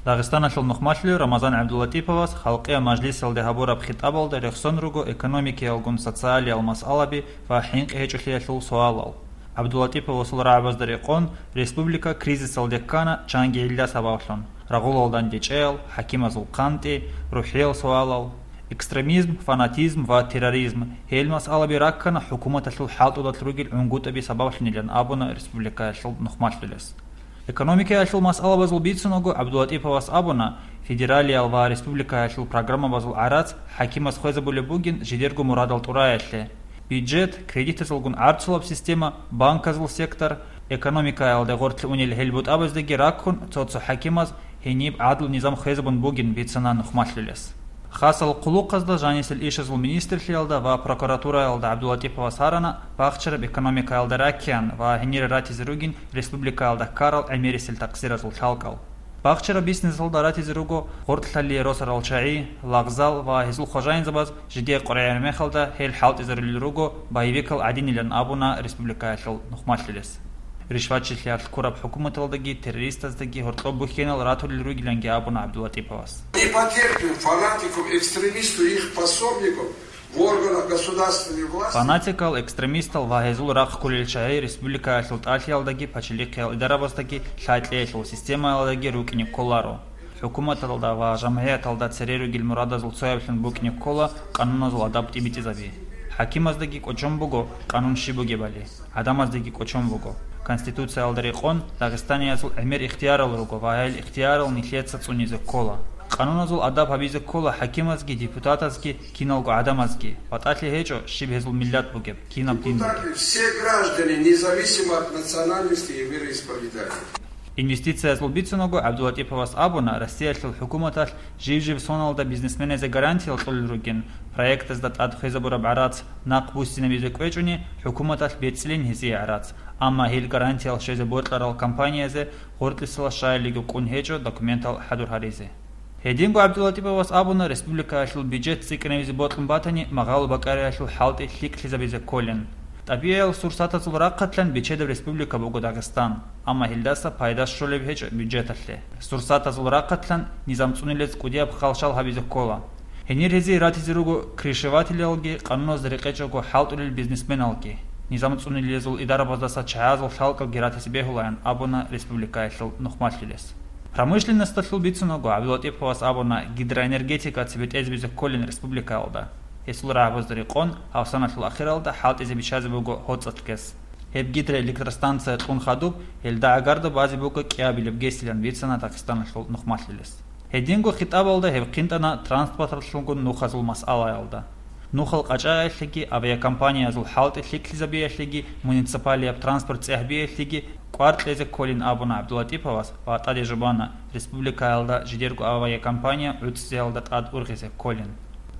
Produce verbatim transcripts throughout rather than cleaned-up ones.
Дагъистаналъул нухмалъулев Рамазан ГӀабдуллатӀиповас халкъиял мажлисалде гьабураб хитӀабалда рехсон руго экономикаялгун социалиял масъалаби ва хӀинкъи гьечӀолъиялъул суалал. ГӀабдуллатӀиповасул рагӀабазда рекъон республика кризисалде ккана чанги гӀилла сабаблъун: рагъулал дандечӀеял, хӀакимазул къантӀи, рухӀиял суалал, экстремизм, фанатизм ва терроризм. Гьел масъалаби раккана хӀукуматалъул хӀалтӀудалъ ругел гӀунгутӀаби сабаблъунилан абуна республикаялъул нухмалъулес. Экономикаялъул масъалабазул бицунаго ГӀабдуллатӀиповас абуна, федералиял ва республикаялъул программабазул гӀарац хӀакимас хвезабулеб бугин жидерго мурадал тӀураялъе. Бюджет, кредитазулгун гӀарцулаб система, банказул сектор, экономикаялда гъорлъ унел гьел бутӀабаздаги раккун, цо-цо хӀакимаз гьениб гӀадлу низам хвезабун бугин бицана нухмалъулес. Хасал хъулухъазда жанисел ишазул министрлъиялда ва прокуратураялда ГӀабдуллатӀиповас гьарана бахчараб экономикаялда раккеян ва гьенире ратизе ругин республикаялда ккарал гӀемерисел такъсиразул лъалкӀал. Бахчараб бизнесалда ратизе руго гъоркьлъалие росарал чагӀи, лагъзал ва гьезул хважаинзабаз жидее къваригӀараб мехалда гьел хӀалтӀизарулел руго боевикал гӀадинилан абуна республикаялъул нухмалъулес. Ришватчилъиялъ ккураб хӀукуматалдаги террористаздаги гьоркьоб бухьенал ратулел ругиланги абуна ГӀабдуллатӀиповас. Не потерпим фанатиков, экстремистов и их пособников в органах государственной власти. Фанатикал, экстремистал ва гьезул рахъ кколел чагӀи республикаялъул тӀалъиялдаги пачалихъиял идарабаздаги лъай-кьеялъул системаялдаги рукӀине кколаро. ХӀукуматалда ва жамгӀияталда цере ругел мурадазул цояблъун букӀине ккола къануназул адаб тӀибитӀизаби. ХӀакимаздаги кӀочон буго къанун щиб бугебали, гӀадамаздаги кӀочон буго. Конституциялда рекъон, дагъистаниязул гӀемер ихтиярал руго ва гьел ихтиярал нилъеца цӀунизе ккола. Къануназул адаб гьабизе ккола хӀакимазги, депутатазги, киналго гӀадамазги, батӀалъи гьечӀо щиб гьезул миллат бугеб, кинаб дин бугеб. Депутаты, все граждане, независимо от национальности и вероисповедания. Инвестициязул бицунаго ГӀабдуллатӀиповас абуна, Россиялъул хӀукуматалъ жив-жив соналда бизнесменазе гарантиял кьолел ругин, проектазда тӀад хвезабураб гӀарац нахъ буссинабизе кӀвечӀони, хӀукуматалъ бецӀилин гьезие гӀарац, амма гьел гарантиял щвезе бокьарал компаниязе гъоркьисала щаялиго кӀун гьечӀо документал хӀадур гьаризе. Гьединго ГӀабдуллатӀиповас абуна, республикаялъул бюджет цӀикӀкӀинабизе бокьун батани, магъало-бакӀариялъул хӀалтӀи лъикӀлъизабизе кколин. ТӀабигӀиял сурсатазул рахъалъан бичедаб республика буго Дагъистан, амма гьелдаса пайда щолеб гьечӀо бюджеталъе. Сурсатазул рахъалъан низам цӀунилез кӀудияб халщал гьабизе ккола. Гьенир гьезие ратизе руго крышевателалги, къануназда рекъечӀого хӀалтӀулел бизнесменалги. Низам цӀунилезул идарабаздаса чагӀазул лъалкӀалги ратизе бегьулаан абуна республикаялъул нухмалъулес. Промышленносталъул бицунаго ГӀабдуллатӀиповас абуна, гидроэнергетика цебетӀезабизе кколин республикаялда. Гьесул рагӀабазда рекъон, гьав саналъул ахиралда хӀалтӀизе биччазе буго гьоцӀалъ гес. Гьеб гидроэлектростанция кьун хадуб, гьелда гӀагарда базе буго кӀиабилеб гесилан бицана Дагъистаналъул нухмалъулес. Гьединго хитӀабалда гьеб хъинтӀана транспортлъунгун нухазул масъалаялда. Нухал къачӀаялъеги, авиакомпаниязул хӀалтӀи лъикӀлъизабиялъеги, муниципалияб транспорт цӀехбиялъеги кӀвар кьезе кколин абуна ГӀабдуллатӀиповас ва тӀаде жубана, республикаялда жидерго авиакомпания гӀуцӀизеялда тӀад ургъизе кколин.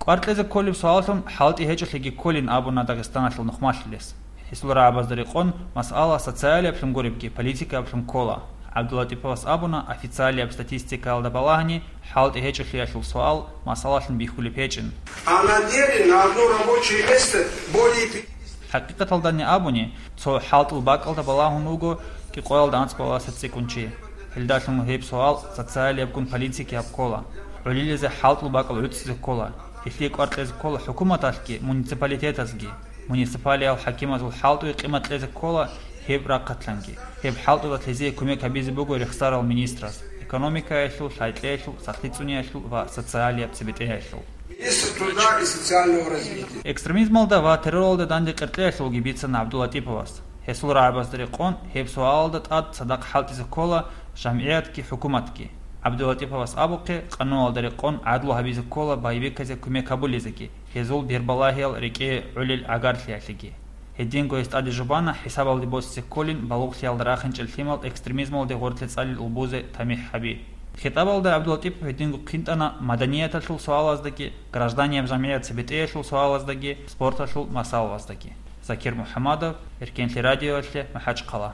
КӀвар кьезе кколеб суаллъун хӀалтӀи гьечӀолъиги кколин абуна Дагъистаналъул нухмалъулес. Гьесул рагӀабазда рекъон, масъала социалияблъун гуребги политикаблъун ккола. ГӀабдуллатӀиповас абуна, официалияб статистикаялда балагьани, хӀалтӀи гьечӀолъиялъул суал масъалалъун бихьулеб гьечӀин. А на деле на одно рабочее место более пятидесяти. ХӀакъикъаталдани абуни, цо хӀалтӀул бакӀалда балагьун вуго кӀикъоялда анцӀбаласа цӀикӀкӀун чи. Гьелдалъун гьеб суал социалиябгун политикияб ккола. ГӀолилазе хӀалтӀул бакӀал гӀуцӀизе ккола. Гьелъие кӀвар кьезе ккола хӀукуматалъги, муниципалитетазги. Муниципалиял хӀакимазул хӀалтӀуе къимат кьезе ккола гьеб рахъалъанги. Гьеб хӀалтӀудалъ гьезие кумек гьабизе буго рехсарал министрас, экономикаялъул, лъай-кьеялъул, сахлъи цӀуниялъул ва социалияб цебетӀеялъул. Министр труда и социального развития. Экстремизмалда ва терроралда данде къеркьеялъулги бицана ГӀабдуллатӀиповас. Гьесул рагӀабазда рекъон, гьеб суалалда тӀад цадахъ хӀалтӀизе ккола жамгӀиятги хӀукуматги. ГӀабдуллатӀиповас абухъе, къануналда рекъон гӀадлу гьабизе ккола боевиказе кумек гьабулезеги, гьезул бербалагьиял рекӀее гӀолел гӀагарлъиялъеги. Гьединго гьес тӀаде жубана хӀисабалде босизе кколин балугълъиялда рахинчӀел лъимал экстремизмалде гъорлъе цӀалел улбузе тамихӀ гьаби. ХитӀабалда ГӀабдуллатӀипов гьединго хъинтӀана маданияталъул суалаздаги, гражданияб жамгӀият цебетӀеялъул суалаздаги, спорталъул масъалалаздаги. Закир МухӀамадов, Эркенлъи радиоялъе, МахӀачхъала.